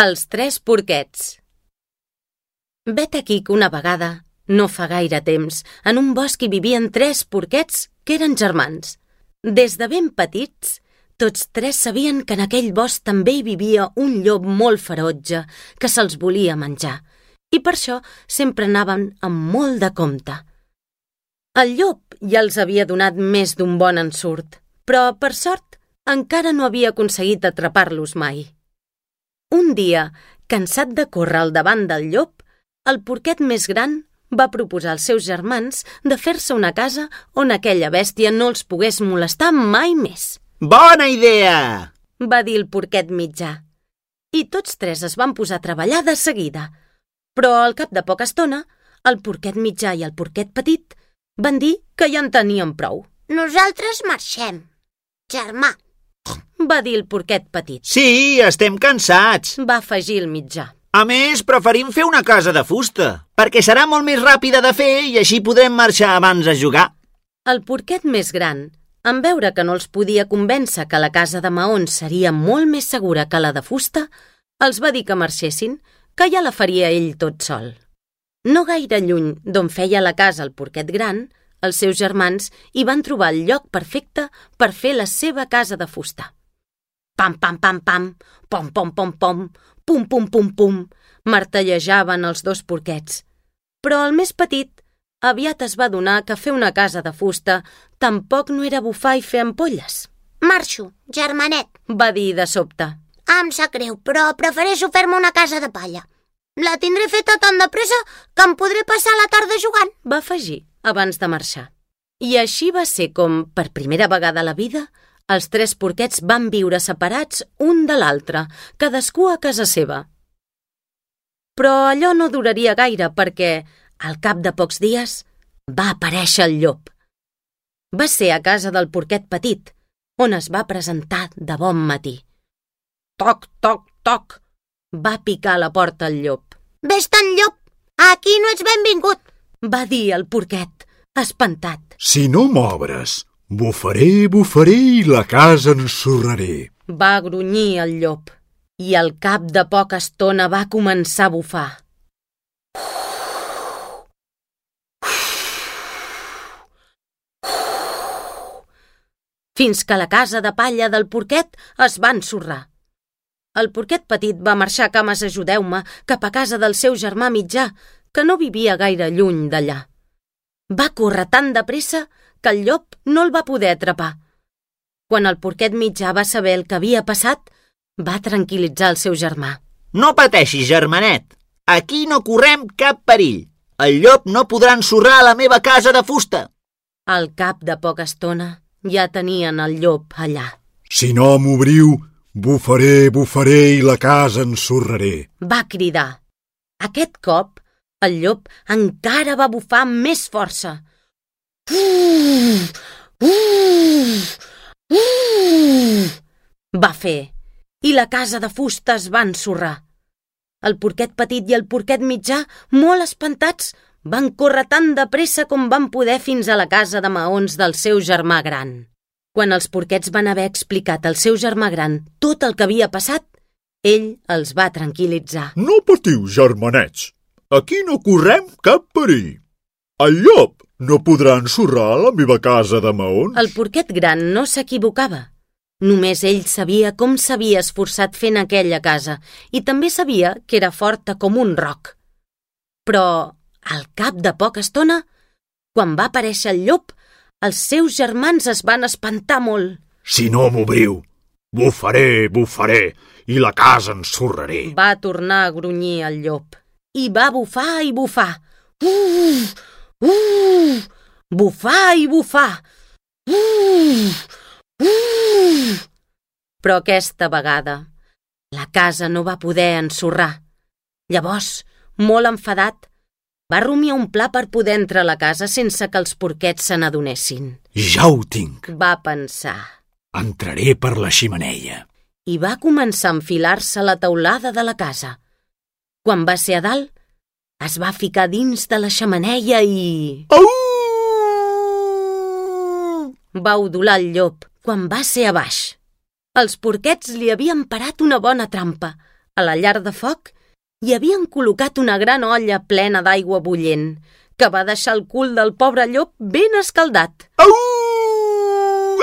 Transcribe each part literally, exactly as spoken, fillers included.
Els tres porquets. Vet aquí que una vegada, no fa gaire temps, en un bosc hi vivien tres porquets que eren germans. Des de ben petits, tots tres sabien que en aquell bosc també hi vivia un llop molt ferotge que se'ls volia menjar, i per això sempre anaven amb molt de compte. El llop ja els havia donat més d'un bon ensurt, però, per sort, encara no havia aconseguit atrapar-los mai. Un dia, cansat de córrer al davant del llop, el porquet més gran va proposar als seus germans de fer-se una casa on aquella bèstia no els pogués molestar mai més. Bona idea! Va dir el porquet mitjà. I tots tres es van posar a treballar de seguida. Però al cap de poca estona, el porquet mitjà i el porquet petit van dir que ja en tenien prou. Nosaltres marxem, germà, va dir el porquet petit. Sí, estem cansats. Va afegir el mitjà. A més, preferim fer una casa de fusta, perquè serà molt més ràpida de fer i així podrem marxar abans a jugar. El porquet més gran, en veure que no els podia convèncer que la casa de maons seria molt més segura que la de fusta, els va dir que marxessin, que ja la faria ell tot sol. No gaire lluny d'on feia la casa el porquet gran, els seus germans hi van trobar el lloc perfecte per fer la seva casa de fusta. Pam, pam, pam, pam, pom, pom, pom, pom, pum, pum, pum, pum, martellejaven els dos porquets. Però el més petit aviat es va adonar que fer una casa de fusta tampoc no era bufar i fer ampolles. Marxo, germanet, va dir de sobte. Em sap greu, però prefereixo fer-me una casa de palla. La tindré feta tan de pressa que em podré passar la tarda jugant, va afegir abans de marxar. I així va ser com, per primera vegada a la vida, els tres porquets van viure separats un de l'altre, cadascú a casa seva. Però allò no duraria gaire perquè, al cap de pocs dies, va aparèixer el llop. Va ser a casa del porquet petit, on es va presentar de bon matí. Toc, toc, toc, va picar a la porta el llop. Vés-te'n, llop, aquí no ets benvingut, va dir el porquet, espantat. Si no m'obres, bufaré, bufaré i la casa ensorraré. Va grunyir el llop i al cap de poca estona va començar a bufar. Fins que la casa de palla del porquet es va ensorrar. El porquet petit va marxar a cames ajudeu-me cap a casa del seu germà mitjà, que no vivia gaire lluny d'allà. Va córrer tan de pressa que el llop no el va poder atrapar. Quan el porquet mitjà va saber el que havia passat, va tranquil·litzar el seu germà. No pateixis, germanet. Aquí no correm cap perill. El llop no podrà ensorrar la meva casa de fusta. Al cap de poca estona ja tenien el llop allà. Si no m'obriu, bufaré, bufaré i la casa ensorraré, va cridar. Aquest cop, el llop encara va bufar amb més força. Uh, uh, uh, va fer, i la casa de fusta es va ensorrar. El porquet petit i el porquet mitjà, molt espantats, van córrer tan de pressa com van poder fins a la casa de maons del seu germà gran. Quan els porquets van haver explicat al seu germà gran tot el que havia passat, ell els va tranquil·litzar. No patiu, germanets. Aquí no correm cap perill. El llop no podrà ensorrar la meva casa de maons. El porquet gran no s'equivocava. Només ell sabia com s'havia esforçat fent aquella casa i també sabia que era forta com un roc. Però, al cap de poca estona, quan va aparèixer el llop, els seus germans es van espantar molt. Si no m'obriu, bufaré, bufaré i la casa ensorraré, va tornar a grunyir el llop. I va bufar i bufar. Uh, uh, bufar i bufar. Uh, uh. Però aquesta vegada la casa no va poder ensorrar. Llavors, molt enfadat, va rumiar un pla per poder entrar a la casa sense que els porquets se n'adonessin. Ja ho tinc, va pensar. Entraré per la xemeneia. I va començar a enfilar-se a la teulada de la casa. Quan va ser a dalt, es va ficar dins de la xemeneia i... Au! Va udolar el llop quan va ser a baix. Els porquets li havien parat una bona trampa. A la llar de foc hi havien col·locat una gran olla plena d'aigua bullent, que va deixar el cul del pobre llop ben escaldat. Au!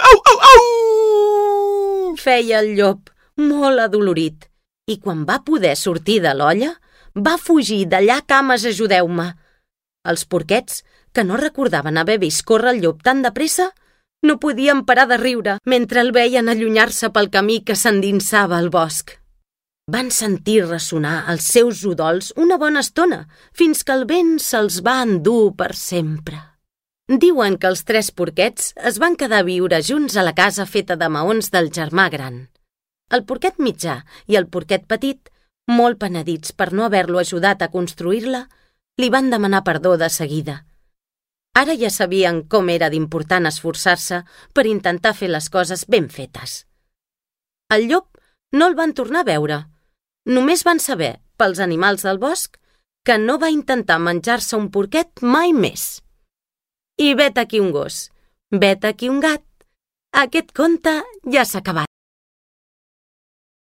Au, au, au! Feia el llop, molt adolorit, i quan va poder sortir de l'olla, va fugir d'allà cames ajudeu-me. Els porquets, que no recordaven haver vist córrer el llop tan de pressa, no podien parar de riure mentre el veien allunyar-se pel camí que s'endinsava al bosc. Van sentir ressonar els seus udols una bona estona, fins que el vent se'ls va endur per sempre. Diuen que els tres porquets es van quedar a viure junts a la casa feta de maons del germà gran. El porquet mitjà i el porquet petit, molt penedits per no haver-lo ajudat a construir-la, li van demanar perdó de seguida. Ara ja sabien com era d'important esforçar-se per intentar fer les coses ben fetes. El llop no el van tornar a veure. Només van saber, pels animals del bosc, que no va intentar menjar-se un porquet mai més. I vet aquí un gos, vet aquí un gat. Aquest conte ja s'ha acabat.